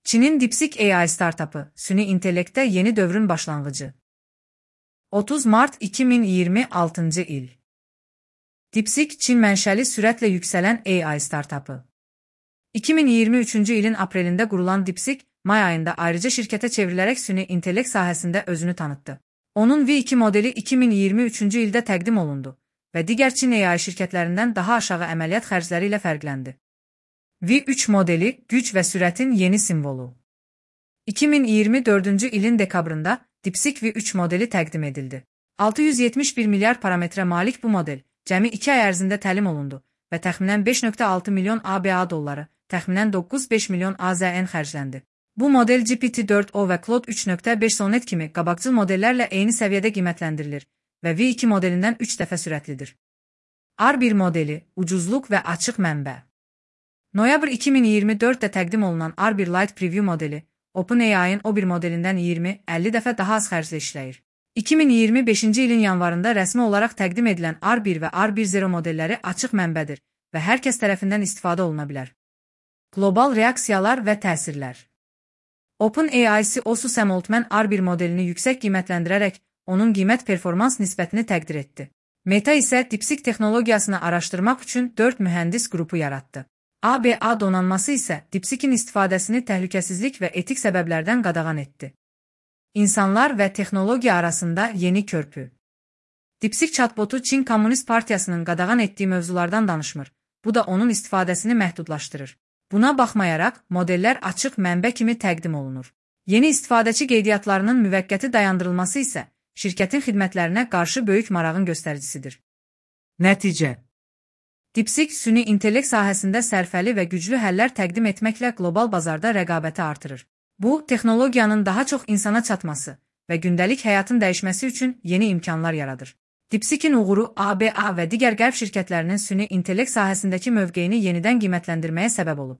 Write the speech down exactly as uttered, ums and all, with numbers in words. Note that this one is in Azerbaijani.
Çinin DeepSeek A I startupı, süni intellektdə yeni dövrün başlanğıcı. otuz Mart iki min iyirmi altıncı il. DeepSeek, Çin mənşəli sürətlə yüksələn A I startupı. iki min iyirmi üçüncü ilin aprelində qurulan DeepSeek, may ayında ayrıca şirkətə çevrilərək süni intellekt sahəsində özünü tanıtdı. Onun V iki modeli iki min iyirmi üçüncü ildə təqdim olundu və digər Çin A I şirkətlərindən daha aşağı əməliyyat xərcləri ilə fərqləndi. V üç modeli, güc və sürətin yeni simvolu. iki min iyirmi dördüncü ilin dekabrında DeepSeek V üç modeli təqdim edildi. altı yüz yetmiş bir milyar parametrə malik bu model cəmi iki ay ərzində təlim olundu və təxminən beş nöqtə altı milyon A B A dolları, təxminən doqquz nöqtə beş milyon A Z N xərcləndi. Bu model G P T dörd o və Claude üç nöqtə beş Sonnet kimi qabaqcıl modellərlə eyni səviyyədə qiymətləndirilir və V iki modelindən üç dəfə sürətlidir. R bir modeli, ucuzluq və açıq mənbə. Noyabr iki min iyirmi dörddə təqdim olunan R bir Lite Preview modeli, OpenAI'ın O bir modelindən iyirmi əlli dəfə daha az xərclə işləyir. iki min iyirmi beşinci ilin yanvarında rəsmi olaraq təqdim edilən R bir və R bir nöqtə sıfır modelləri açıq mənbədir və hər kəs tərəfindən istifadə oluna bilər. Qlobal reaksiyalar və təsirlər. OpenAI C E O Sam Altman R bir modelini yüksək qiymətləndirərək onun qiymət-performans nisbətini təqdir etdi. Meta isə DeepSeek texnologiyasını araşdırmaq üçün dörd mühəndis qrupu yaratdı. A B A donanması isə DeepSeek'in istifadəsini təhlükəsizlik və etik səbəblərdən qadağan etdi. İnsanlar və texnologiya arasında yeni körpü. DeepSeek chatbotu Çin Komünist Partiyasının qadağan etdiyi mövzulardan danışmır. Bu da onun istifadəsini məhdudlaşdırır. Buna baxmayaraq, modellər açıq mənbə kimi təqdim olunur. Yeni istifadəçi qeydiyyatlarının müvəqqəti dayandırılması isə şirkətin xidmətlərinə qarşı böyük marağın göstəricisidir. Nəticə. DeepSeek, süni intellekt sahəsində sərfəli və güclü həllər təqdim etməklə qlobal bazarda rəqabəti artırır. Bu, texnologiyanın daha çox insana çatması və gündəlik həyatın dəyişməsi üçün yeni imkanlar yaradır. DeepSeek'in uğuru A B A və digər qərb şirkətlərinin süni intellekt sahəsindəki mövqeyini yenidən qiymətləndirməyə səbəb olub.